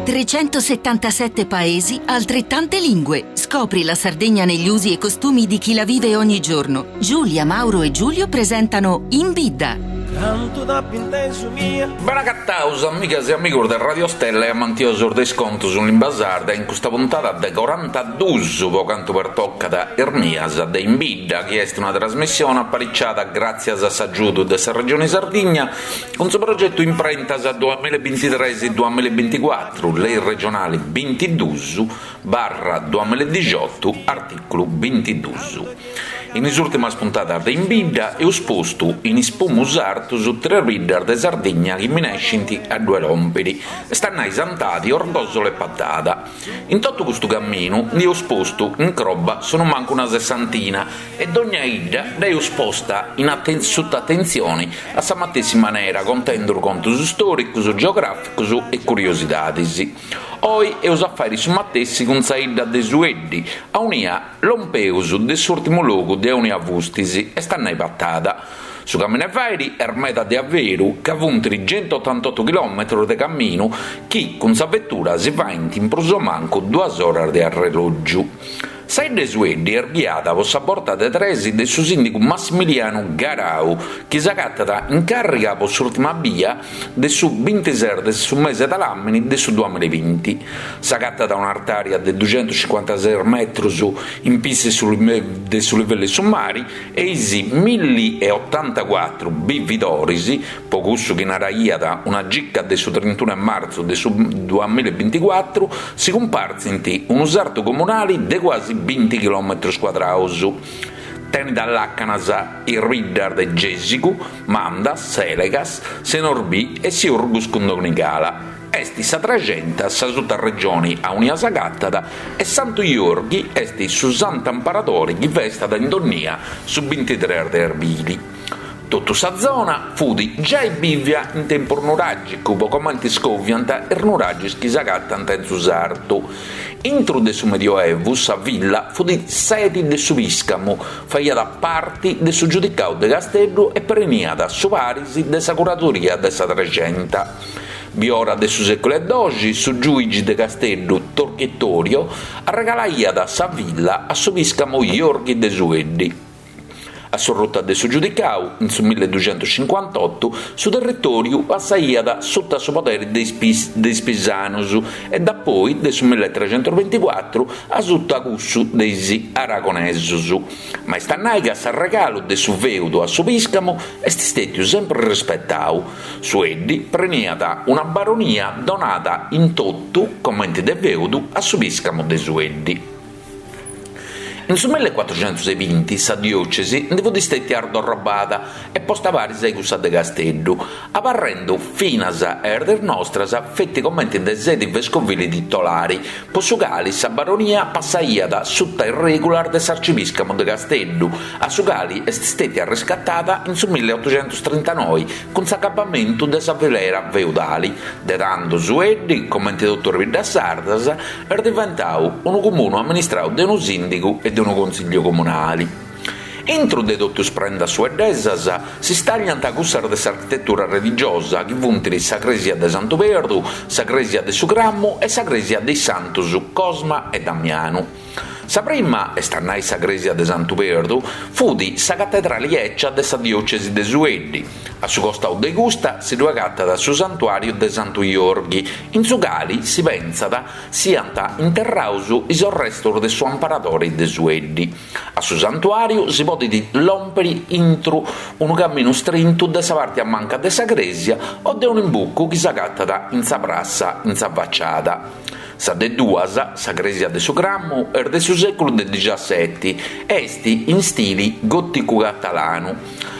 377 paesi, altrettante lingue. Scopri la Sardegna negli usi e costumi di chi la vive ogni giorno. Giulia, Mauro e Giulio presentano In Bidda. Cantu t'ap'intesu mia. Bene agataus amigas e amigos de Radio Stella e amantiosos de is contos in limba sarda in custa puntada de corantadus po cantu pertocat is mias de In Bidda chi est una trasmissione apariciada gràtzias a s'agiudu de sa Regione Sardigna Cun su progetu Imprentas duamillabintitres duamillabinticuatru, lei regionali bintidus barra duamilladixotu, artìculu bintidus. In is ùrtimas puntadas de In Bidda eus postu in is pumus artus tres biddas de Sardigna chi minescint a ddue lòmpiri, est a nai Santadi, Orgòsolo e Patada. In totu custu caminu nd'eus postu in croba sonumancu una sessantina e dogna 'idda dd'eus posta in suta atentzioni a sa matessi manera contendu contus stòricus, geogràficus e curiosidadis. Oi eus a fàiri su matessi cun sa 'idda de Sueddi, aunia lompeus de s'ùrtimu logu de aunia fustis, est a nai Patada. Su caminu 'e fàiri est meda de averu, ca funt centuotantotu chilòmetrus de caminu chi cun sa vetura si faint in prus o mancu duas oras de arrelògiu. Sa 'idda 'e Sueddi est ghiada po sa borta de tres de su sìndigu Massimilianu Garau, chi s'agatat in càrriga po s'ùrtima bia de su bintises de su mese de làmini de su duamillabinti. S'agatat a un'artària de duxentuscincuantases metrus in pissu de su livellu 'e su mari e is milli e otantacuatru bividoris, Po cussu chi naraiat una gica de su trintunu 'e martzu de su duamillabinticuatru, si cumpartzint unu sartu comunali de cuasi binti chilòmetrus cuadraus. Tenit a làcanas is biddas de Gèsigu, Mandas, Sèlegas, Senorbì e Siurgus cun Donigala. Est sa Trexenta sa sutaregioni aunia s'agatat e Santu Jorghi est su santu amparadori chi festat in donnia su bintitres de arbili. Totu sa zona fut giai bìvia in tempus nuràgicu po comenti scoviant is nuragis chi s'agatant in su sartu. Intru de su Medioevu sa villa fut sedi de su pìscamu, faiat parti de su giudicau de Casteddu e preniat su paris de sa curadoria de sa Trexenta. Biora de su sèculu 'e doxi su giùigi de Casteddu Torchitorio arregalaiat sa villa a su pìscamu Jorghi de Sueddi. A s'orruta de su Giudicau, in su milleduxentuscincuantotu, su territòriu passaiat suta su poderi de is de is Pisanus e dapoi, de su milletregentusbinticuatru, a suta cussu de is Aragonesus. Ma est a nai ca s'arregalu de su fèudu a su pìscamu est stètiu sempri rispetau. Sueddi preniat una baronia donada in totu, comenti de fèudu, a su pìscamu de Sueddi. In su millecuatruxentusebinti sa diòcesi ndi fut stètia ardorrobada e posta paris a cussa de Casteddu, abarrendu finas a is diis nostras feti comenti de sedi vescovili titolari, po su cali sa baronia passaiat suta is règulas de s'arcipìscamu de Casteddu, a su cali est stètia arrescatada in su milleotuxentustrintanoi cun s'acabamentu de sa filera feudali. De tando Sueddi, comenti totu is biddas sardas, est diventau unu comunu amministrau de unu sìndigu e de unu consigliu comunali. Intru de totu is prendas sueddesas si stàgliant cussas de s'architetura religiosa chi funt sa crèsia de Santu Perdu, sa crèsia de su Cramu e sa crèsia de is Santus Cosma e Damianu. Sa prima, est a nai sa crèsia de Santu Perdu, fut sa catedrali 'ècia de sa diòcesi de Sueddi. A su costau de custa si ddu agatat su santuàriu de Santu Jorghi, in su cali si pentzat siant interraus is orrestus de su amparadori de Sueddi. A su santuàriu si podit lòmpiri intru unu caminu strintu de sa parti a manca de sa crèsia o de un'imbucu chi s'agatat in sa prassa in sa faciada. Sa de duas, sa crèsia de su Cramu, est de su sèculu de dixaseti e est in stili gòticu-catalanu.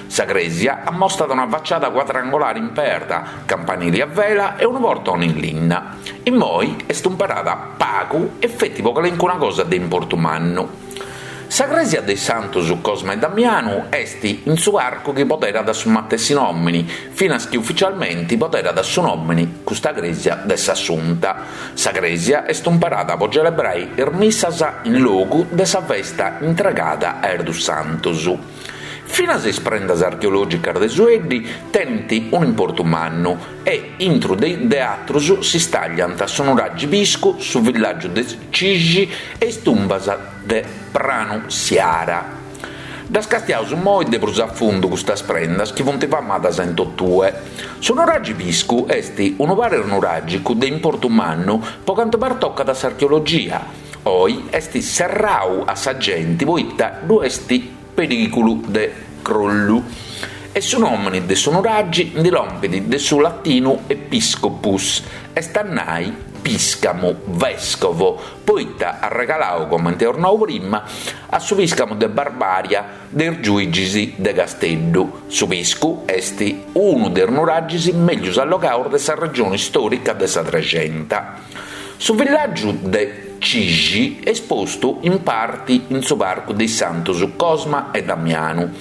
Sa crèsia ammostat una faciada cuadrangolari in perda, campanili a vela e unu portoni in linna. Immoi est umperada pagu e feti po calincuna cosa de importu mannu. Sa crèsia de is Santus Cosma e Damianu est in su parcu chi poderat su matessi nòmini, finas chi ufficialmenti poderat su nòmini custa crèsia de s'Assunta. Sa crèsia est umperada po celebrai is missas in logu de sa festa intregada a is dus santus. Finas is prendas archeològicas de Sueddi tenint un'importu mannu e, intru de atrus, si stàgliant su nuragi Piscu, su villàgiu de Cixi e is tumbas de Pranu Siara. Ddas castiaus immoi de prus a fundu custas prendas chi funt famadas in totue. Su nuragi Piscu est unu paris nuràgicu de importu mannu po cantu pertocat a s'archeologia. Oi est serrau a sa genti poita ddu est perìgulu de crollu e su nòmini de su nuragi ndi lompit de su latinu episcopus, est a nai pìscamu, vescovo, poita arregalau, comente eus nau prima, a su pìscamu de Barbària de is giùigis de Casteddu. Su Piscu est unu de is nuragis mègius allogaus de sa regioni stòrica de sa Trexenta. Su villàgiu de Cixi est postu in parti in su parcu de is Santus Cosma e Damianu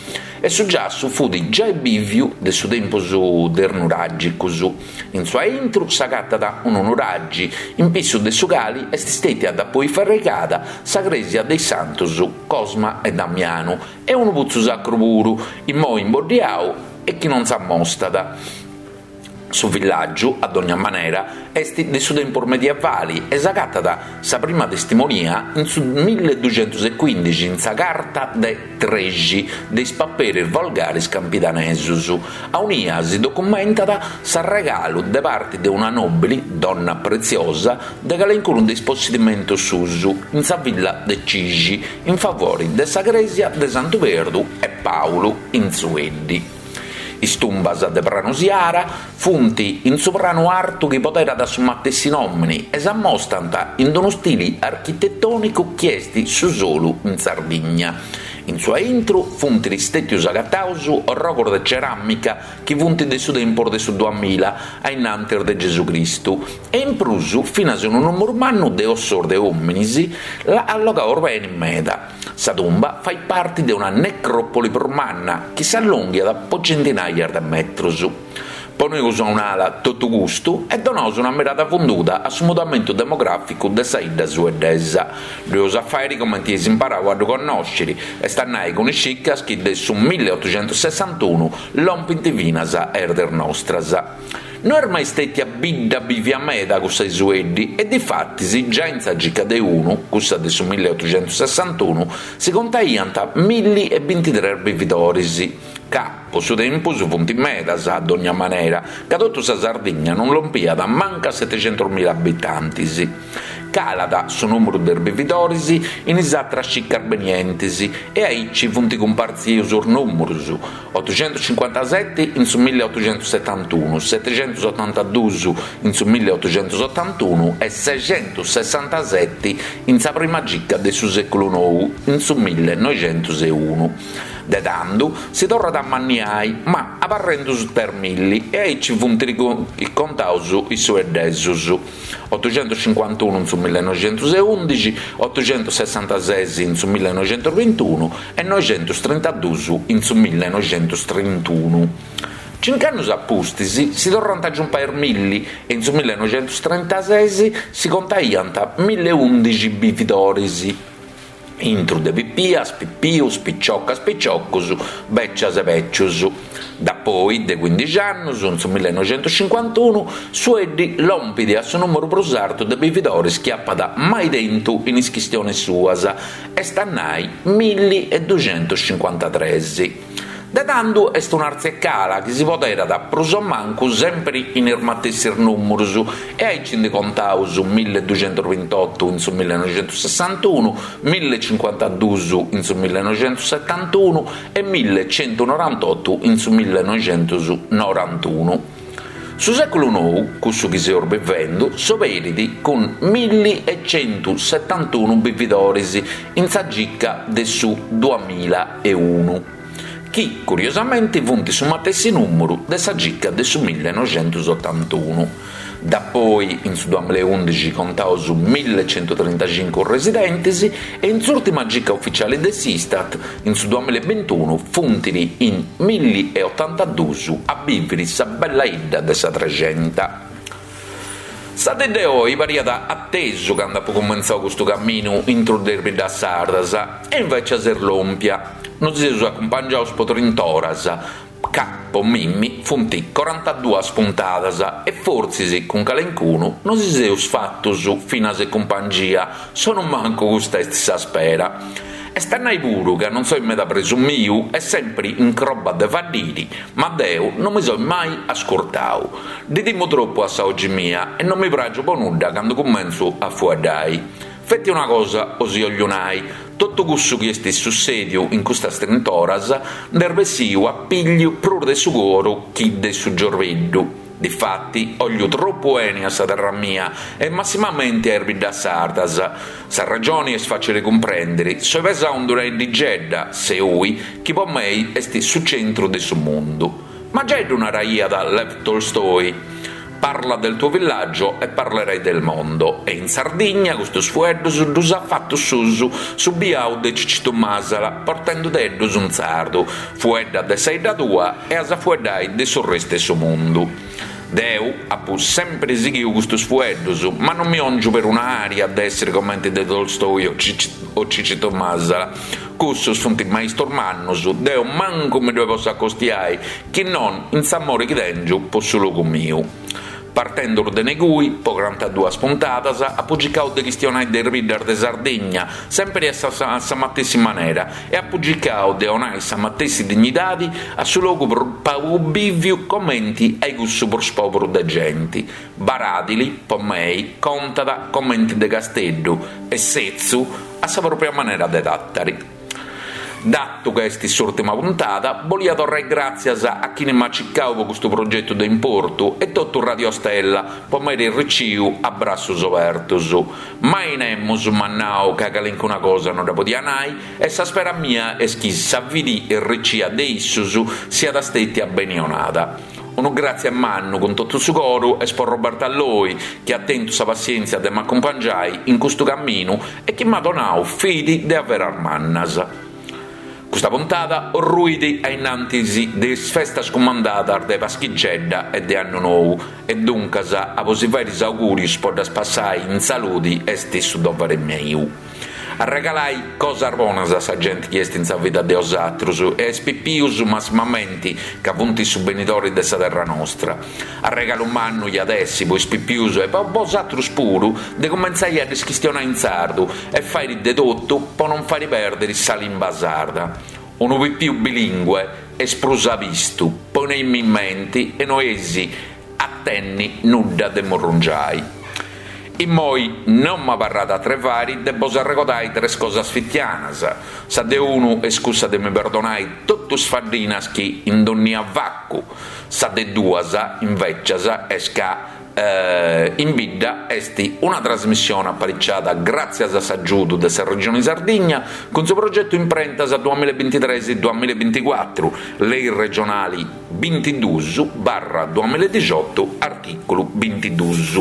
e su giassu fut giai bìviu de su tempus de is nuràgicus. In su aintru s'agatat unu nuragi in pissu de su cali est stètia dapoi fraigada sa crèsia de is Santus Cosma e Damianu e unu putzu sacru puru, immoi imboddiau e chi non s'ammostat. Su villàgiu, a dogna manera, est de su tempus medievali e s'agatat sa prima testimonia in su milleduxentusecuindixi in sa Carta de Trexi de is paperis volgaris campidanesus, aunia si documentat s'arregalu de parti de una nòbili, donna Preziosa, de calencunu de is possedimentus suus in sa villa de Cixi in favori de sa crèsia de Santu Perdu e Pàulu in Sueddi. Is tumbas de Pranu Siara funt in su pranu artu chi poderat su matessi nòmini e s'ammostant in unu stili architetònicu chi est su solu in Sardigna. In su aintru funt stètius agataus orrogus de ceràmica chi funt de su tempus de su duamilla a innantis de Gesù Cristu e in prus finas unu nùmeru mannu de ossos de òminis allogaus beni meda. Sa tumba fait parti de una necròpoli prus manna chi s'allonghiat po centinaias de metrus. Poneus a un'ala totu custu e donaus una mirada funduda a su mudamentu demogràficu de sa 'idda sueddesa. Ddu eus a fàiri comenti eis imparau a ddu connòsciri, est a nai cun is cicas chi de su milleotuxentussessantunu lompint finas a is diis nostras. No est mai stètia bidda bìvia meda cussa 'e Sueddi e difatis giai in sa cica de unu, cussa de su milleotuxentussessantunu, si contaiant milli e bintitres bividoris, ca po su tempus funt medas a dogna manera, ca totu sa Sardigna non lompiat mancu a setixentusmila abitantis. Calat su nùmeru de is bividoris in is atras cicas benientis e aici funt cumpartzius is nùmerus, Otuxentuscincuantaseti in su milleotuxentussetantunu, setixentusotantadus in su milleotuxentusotantunu e sexentussessantaseti in sa prima cica de su sèculu nou, in su millenoixentuseunu. De tandu si torrat a amanniai, ma abarrendu suta is milli e aici funt contaus is sueddesus. Otuxentuscincuantunu in su millenoixentuseundixi, otuxentussessantases in su millenoixentusbintunu e noixentustrintadus in su millenoixentustrintunu. Cinc'annus a pustis si torrant a giumpai is milli e in su millenoixentustrintases si contaiant milleundixi bividoris. Intru de pipias, pipius, piciocas, piciocus, becias e becius. Dapoi de cuindixi annus, in su millenoixentuscincuantunu, Sueddi lompit a su nùmeru prus artu de bividoris chi apat mai tentu in is chistionis suas, est a nai milli e duxentuscincuantatres. De tandu est un'artzia e cala chi si poderat prus o mancu sempri in is matessis nùmerus e aici ndi contaus milleduxentusbintotu in su millenoixentussessantunu, millecincuantadus in su millenoixentussetantunu e millecentunorantotu in su millenoixentusnorantunu. Su sèculu nou, cussu chi seus bivendu, s'oberit cun milli e centusetantunu bividoris in sa cica de su duamilla e unu, chi curiosamenti funt su matessi nùmeru de sa cica de su millenoixentusotantunu. Dapoi in su duamillaeundixi contaus millecentutrintacincu residentis e in s'ùrtima cica uficiali de s'Istat, in su duamillaebintunu, funt in millieotantadus a bìviri sa bella 'idda de sa Trexenta. Sa dì de oi pariat atesu candu apu cumentzau custu caminu intru de is biddas sardas e invècias est lòmpia. Nosi seus acumpangiaus po trint'oras, ca po mimmi funt corantaduas puntadas e fortzis cun calencunu nosi seus fatus finas e cumpangia, sonumancu custa est sa spera. Est a nai puru ca non soi meda presumiu e sempri in croba de faddiri, ma deu non mi soi mai ascurtau. Ddi timu tropu a sa 'ogi mia e non mi pragiu po nudda candu cumentzu a fueddai. Feti una cosa osi 'ogliu nai, totu cussu chi est sussediu in custas trint'oras nd'est bessiu a pigliu prus de su coru chi de su giorbeddu. Difati, 'ogliu tropu 'eni a sa terra mia e massimamenti a is biddas sardas. Sa ragioni est facili cumprendiri, soi pesau in d'una 'iddigedda, Seui, chi po mei est su centru de su mundu. Ma giai ddu naraiat Lev Tolstoi, Parla del tuo villaggio e parlerai del mondo e in Sardigna custus fueddus ddus at fatus suus su biau de Cicitu Masala portendudeddus in sardu, fuedda de sa 'idda tua e as a fueddai de su restu 'e su mundu. Deu apu sempri sighiu custus fueddus, ma non mi 'ongiu peruna aria de essiri comenti de Tolstoi o Cicitu Masala. Cussus funt maistus mannus, deu mancu mi ddoi potzu acostiai, chi non in s'amori chi tengiu po su logu miu. Partenduru de negui, po corantaduas puntadas, apu circau de chistionai de is biddas de Sardigna, sempri a sa sa matessi manera, e apu circau de 'onai sa matessi dignidadi a su logu prus pagu bìviu comenti a cussu prus pòberu de genti. Baradili, po mei, contat comenti de Casteddu e Setzu a sa pròpria manera de Tàtari. Datu ca est s'ùrtima puntada, bolia torrai gràtzias a chini m'at circau po custu progetu de importu e totu Radio Stella po m'airi riciu a brassus obertus. Mai nemus m'at nau ca calincuna cosa no dda podia nai e sa spera mia est chi sa fidi erricia de issus siat stètia beni 'onada. Unu gràtzia mannu cun totu su coru est po Roberta Loi chi at tentu sa passièntzia de m'acumpangiai in custu caminu e chi m'at donau fidi de averas mannas. Custa puntada orruit a innantis de is festas cumandadas de Paschigedda e de Annu Nou e duncas a bosi fairi is augùrius po ddas passai in saludi est su dovere miu. Arregalai cosas bonas a sa genti chi est in sa vida de osatrus e a is pipius massimamenti ca funt su benidori de sa terra nostra. Arregalu mannu iat essi po is pipius e po bosatrus puru de cumentzai a ddis chistionai in sardu e fairi de totu po non fairi perdiri sa limba sarda. Unu pipiu bilingue est prus abistu, poneimì in menti e no eis a tenni nudda de murrungiai. Immoi non m'abarrat atru 'e fari de bos arregodai tres cosas fitianas, sa de unu est cussa de mi perdonai totu is faddinas chi in donnia facu, sa de duas invecias est ca In Bidda est una trasmissione apariciada gràtzias a s'agiudu de sa Regioni Sardigna cun su progetu Imprentas duamillabintitres duamillabinticuatru, lei regionali bintidus barra duamilladixotu artìculu bintidus.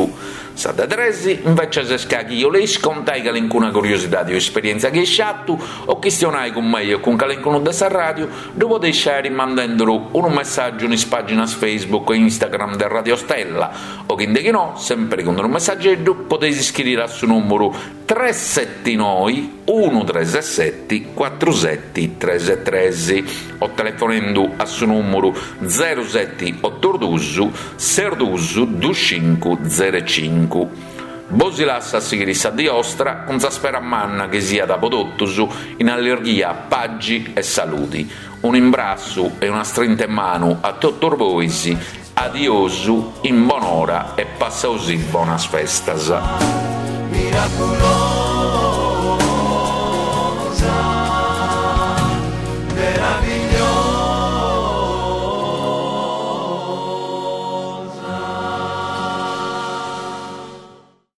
Sa de tres, invecias, est ca chi 'oleis contai calincuna curiosidadi o esperièntzia chi eis fatu o chistionai cun mei o cun calincunu de sa ràdiu, ddu podeis fàiri mandenduru unu messàgiu in is pàginas Facebook e Instagram de Radio Stella o chi nde chi no, sèmpiri cun unu messageddu, podeis iscriri a su nùmuru tres seti noi unu tres seti cuatru seti tres tres o telefonendu a su nùmuru zeru seti otu dus ses dus dus cincu zeru cincu. Bosi lassu a sighiri sa dì 'ostra cun sa spera manna chi siat po totus in allirghia, pagi e saludi. Un'imbrassu e una strinta 'e manu a totus bois, adiosu, in bonora e passaosì bonas festas. Miraculosu.